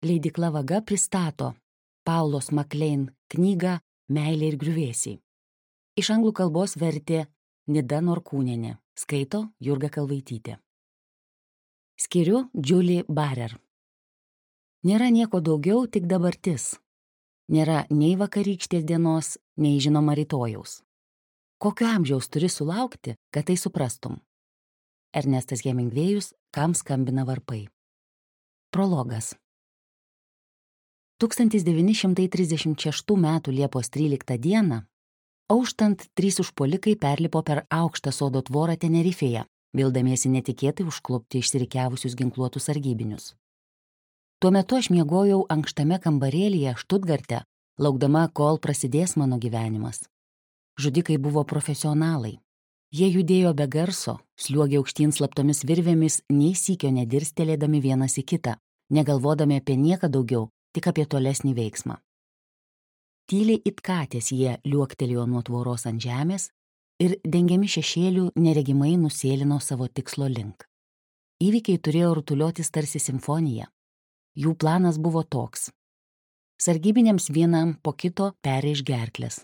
leidykla Vaga pristato Paulos MacLean knygą Meilė ir griuvėsiai. Iš anglų kalbos vertė Nida Norkūnienė, skaito Jurga Kalvaitytė. Skiriu Julie Barer. Nėra nieko daugiau, tik dabartis. Nėra nei vakarykštės dienos, nei žinoma rytojaus. Kokio amžiaus turi sulaukti, kad tai suprastum? Ernestas Hemingvėjus, Kam skambina varpai. Prologas. 1936 m. Liepos 13 d. auštant 3 užpuolikai perlipo per aukštą sodo tvorą Tenerifėje, vildamiesi netikėtai užklupti išsirikiavusius ginkluotus sargybinius. Tuo metu aš miegojau ankštame kambarėlyje Štutgarte, laukdama, kol prasidės mano gyvenimas. Žudikai buvo profesionalai. Jie judėjo be garso, sliuogė aukštyn slaptomis virvėmis, nei sykio nedirstelėdami vienas į kitą, negalvodami apie nieką daugiau, tik apie tolesnį veiksmą. Tyliai it katės jie liuoktelėjo nuo tvoros ant žemės ir, dengiami šešėlių, neregimai nusėlino savo tikslo link. Įvykiai turėjo rutuliotis tarsi simfonija. Jų planas buvo toks. Sargybiniams vienam po kito perrėš gerklės.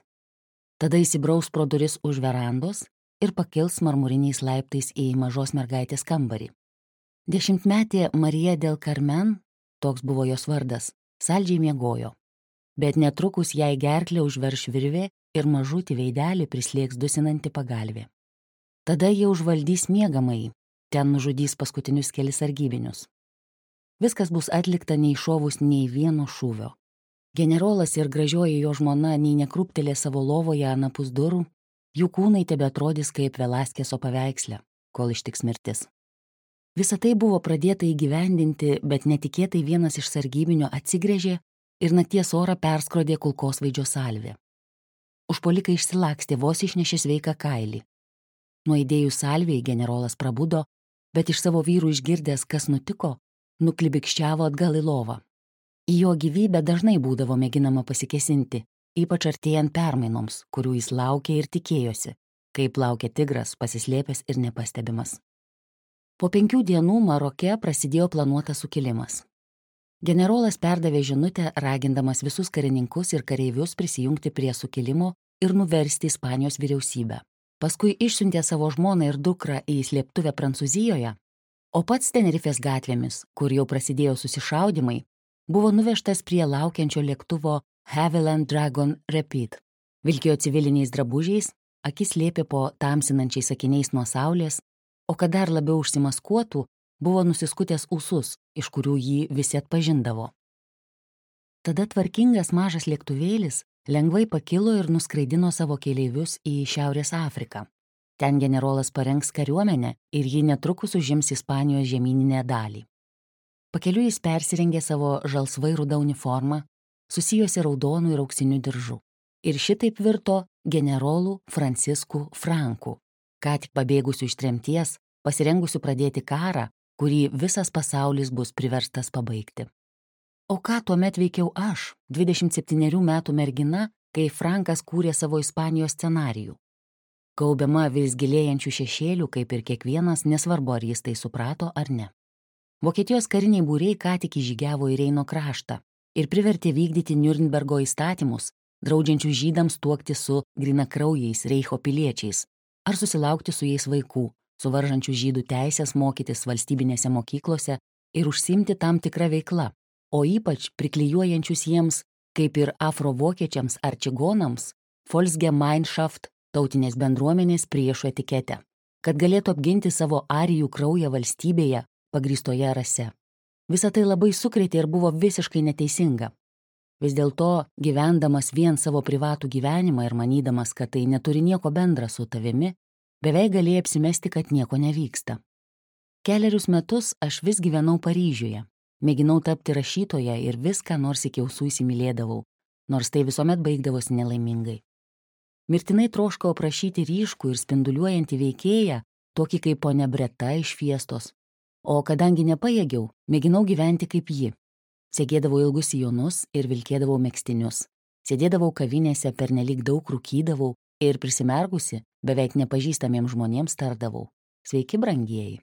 Tada įsibraus pro duris už verandos ir pakils marmuriniais laiptais į mažos mergaitės kambarį. 10-metė Marija del Carmen, toks buvo jos vardas, saldžiai miegojo. Bet netrukus jai gerklę užverš virvė ir mažutį veidelį prislėgs dusinanti pagalvė. Tada jie užvaldys miegamąjį, ten nužudys paskutinius kelis sargybinius. Viskas bus atlikta neiššovus nei vieno šūvio. Generolas ir gražioji jo žmona nei nekrūptelė savo lovoje anapus durų, jų kūnai tebeatrodys kaip Velaskeso paveiksle, kol ištiks mirtis. Visa tai buvo pradėta įgyvendinti, bet netikėtai vienas iš sargybinių atsigręžė ir nakties orą perskrodė kulkosvaidžio salvė. Užpuolikai išsilakstė, vos išnešė sveiką kailį. Nuaidėjus salvei generolas prabudo, bet iš savo vyrų išgirdęs, kas nutiko, nuklibikščiavo atgal į lovą. Į jo gyvybę dažnai būdavo mėginama pasikesinti, ypač artėjant permainoms, kurių jis laukė ir tikėjosi, kaip laukia tigras, pasislėpęs ir nepastebimas. Po 5 dienų Maroke prasidėjo planuotas sukilimas. Generolas perdavė žinutę, ragindamas visus karininkus ir kareivius prisijungti prie sukilimo ir nuversti Ispanijos vyriausybę. Paskui išsiuntė savo žmoną ir dukrą į slėptuvę Prancūzijoje, o pats Tenerifės gatvėmis, kur jau prasidėjo susišaudymai, buvo nuvežtas prie laukiančio lėktuvo Havilland Dragon Rapid. Vilkėjo civiliniais drabužiais, akis slėpė po tamsinančiais akiniais nuo saulės, o kad dar labiau užsimaskuotų, buvo nusiskutęs ūsus, iš kurių jį visi atpažindavo. Tada tvarkingas mažas lėktuvėlis lengvai pakilo ir nuskraidino savo keleivius į Šiaurės Afriką. Ten generolas parengs kariuomenę ir ji netrukus užims Ispanijos žemyninę dalį. Pakeliui jis persirengė savo žalsvai rudą uniformą, susijusi raudonų ir auksinių diržų. Ir šitaip virto generolų Francisku Franku, ką tik pabėgusių iš tremties, pasirengusių pradėti karą, kurį visas pasaulis bus priverstas pabaigti. O ką tuomet veikiau aš, 27 metų mergina, kai Frankas kūrė savo Ispanijos scenarijų? Gaubiama vis gilėjančių šešėlių, kaip ir kiekvienas, nesvarbu, ar jis tai suprato ar ne. Vokietijos kariniai būriai ką tik įžygiavo į Reino kraštą ir privertė vykdyti Niurnbergo įstatymus, draudžiančių žydams tuokti su grynakraujais Reicho piliečiais ar susilaukti su jais vaikų, suvaržančių žydų teisės mokytis valstybinėse mokyklose ir užsiimti tam tikrą veiklą, o ypač priklijuojančius jiems, kaip ir afrovokiečiams ar čigonams, Volksgemeinschaft, tautinės bendruomenės priešų etiketę, kad galėtų apginti savo arijų kraują valstybėje pagrįstoje rase. Visa tai labai sukrėtė ir buvo visiškai neteisinga. Vis dėlto, gyvendamas vien savo privatų gyvenimą ir manydamas, kad tai neturi nieko bendra su tavimi, beveik galėjai apsimesti, kad nieko nevyksta. Kelerius metus aš vis gyvenau Paryžiuje, mėginau tapti rašytoja ir viską nors iki ausų įsimylėdavau, nors tai visuomet baigdavosi nelaimingai. Mirtinai troškau aprašyti ryškų ir spinduliuojantį veikėją, tokį kaip ponia Breta iš Fiestos, o kadangi nepajėgiau, mėginau gyventi kaip ji. Segėdavau ilgus sijonus ir vilkėdavau megztinius. Sėdėdavau kavinėse, pernelyg daug rūkydavau ir prisimerkusi, beveik nepažįstamiems žmonėms tardavau: sveiki, brangieji.